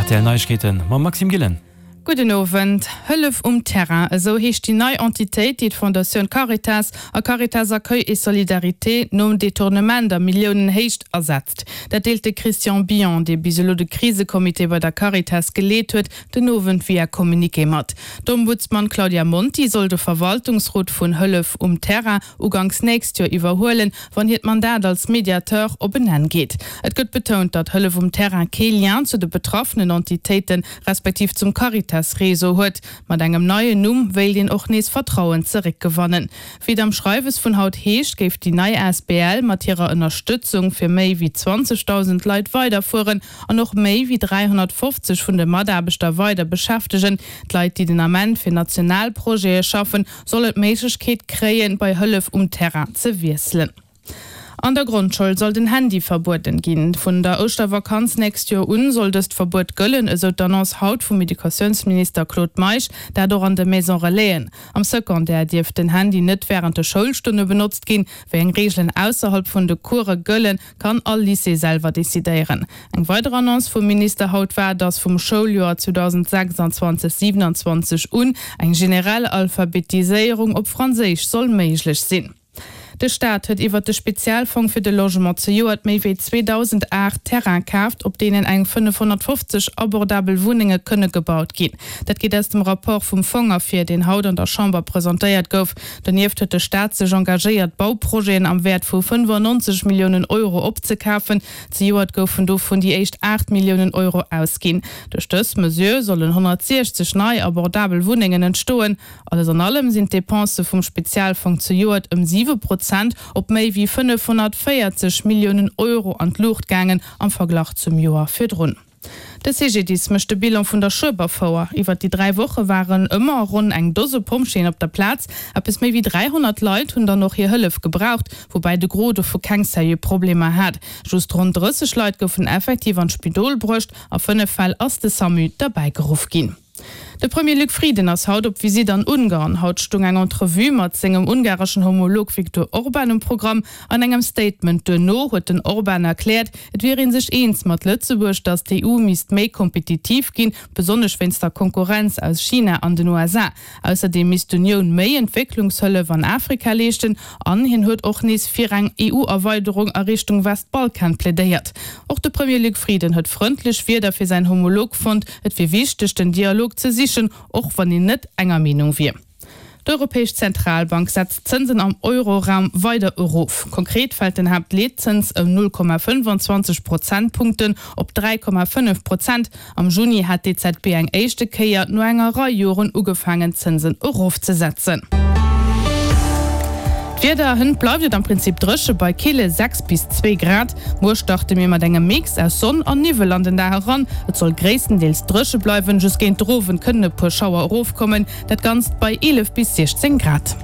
Rtl Neiegkeeten mam Maxime Gillen. Gudden Owend. Hëllef um Terrain, esou heescht déi nei Entitéit, déi d'Fondatioun Caritas a Caritas Accueil et Solidarité nom Detournement a Milliounenhéicht ersetzt. Dat deelt de Christian Billon, dee bis elo de Krisecomité bei der Caritas geleet huet, den Owend via Communiqué mat. D'Ombudsman Claudia Monti soll de Verwaltungsrot vun Hëllef um Terrain uganks nächst Joer iwwerhuelen, wann hiert Mandat als Mediateur op en Enn geet. Et gëtt betount, datt Hëllef um Terrain kee Lien zu de betraffenen Entitéiten, respektiv zum Caritas-Réseau huet. Mat engem neien Numm wéilt een och nees Vertrauen zeréckgewannen. Wéi et am Schreiwes vun haut heescht, géif déi nei asbl mat hirer Ënnerstëtzung fir méi wéi 20.000 Leit weiderfueren an och méi wéi 350 vun de Mataarbechter weider beschäftegen. D'Leit, déi den Ament fir national Projete schaffen, sollen d'Méiglechkeet kréien, bei Hëllef um Terrain ze wiesselen. An der Grondschoul soll den Handy verbueden ginn. Vun der Ouschtervakanz nächst Joer un soll dëst Verbuet gëllen, esou d'Annonce haut vum Educatiounsminister Claude Meisch. Dat och an de Maison Relaisen. Am Secondaire dierf den Handy net wärend de Schoulstonne benotzt ginn. Wéi eng Reegelen ausserhalb vun de Course gëllen, kann all Lycée selwer decidéieren. Eng weider Annonce vum Minister haut war, datt vum Schouljoer 2026, 27 un eng generell Alphabetiséierung op Franséisch soll méiglech sinn. De Staat huet iwwert de Spezialfong fir de Logement zejoert méi wéi 2.008 Terraine kaaft, op deenen eng 550 abordabel Wunnenge kënne gebaut ginn. Dat geet aus dem Rapport vum Fong ervir, deen haut an der Chamber presentéiert gouf. Donieft huet de Staat sech engagéiert, Bauprojeten am Wäert vu 95 Milliounen Euro opzekafen. Zejoert goufen dovun déi éischt 8 Milliounen Euro ausginn. Duerch dës Mesure sollen 160 nei abordabel Wunnengen entstoen. Alles an allem sinn d'Depensë vum Spezialfong zejoert ëm 7 Prozent op méi wéi 540 Milliounen Euro an d'Luucht gaangen am Verglach zum Joer virdrun. De CGDIS mécht de Bilan vun der Schueberfouer. Iwwer déi 3 Woche waren ëmmer ronn eng Dose Pompjeeën op der Plaz. Eppes méi wéi 300 Leit hunn dann och hir Hëllef gebraucht, woubäi de Gros dovu keng seriö Problemer hat. Just ronn 30 Leit goufen effektiv an d'Spidol bruecht. A 5 Fäll ass de Samu derbäi geruff ginn. De Premier Luc Frieden ass haut op Visitt an Ungarn. Haut stung eng Entrevue mat sengem ungareschen Homolog Viktor Orban um Programm. An engem Statement duerno huet den Orban erkläert, et wier ee sech eens mat Lëtzebuerg, datt d'EU misst méi kompetitiv ginn, besonnesch wéinst der Konkurrenz aus China an den USA. Ausserdeem misst d'Unioun méi Entwécklungshëllef an Afrika leeschten an hien huet och nees fir eng EU-Erweiderung a Richtung Westbalkan plädéiert. Och de Premier Luc Frieden huet frëndlech Wierder fir säin Homolog fonnt. Et wier wichteg, den Dialog ze sichen, och wann een net enger Meenung wier. D'Europäesch Zentralbank setzt d'Zënsen am Euroraum weider erof. Konkret fält den Haaptleetzëns ëm 0,25 Prozentpunkten op 3,5 Prozent. Am Juni hat d'EZB eng éischte Kéier no enger Rei Joren ugefaangen d'Zënsen erofzesetzen. D'Wieder, Hënt bleift et am Prinzip dréche bei kille 6 bis 2 Grad. Muer starte mir mat engem Mix aus Sonn an Niwwel an den Dag eran. Et soll gréisstendeels dréche bleiwen, just géint de Owend kënnen e puer Schauer erofkommen. Dat Ganzt bei 11 bis 16 Grad.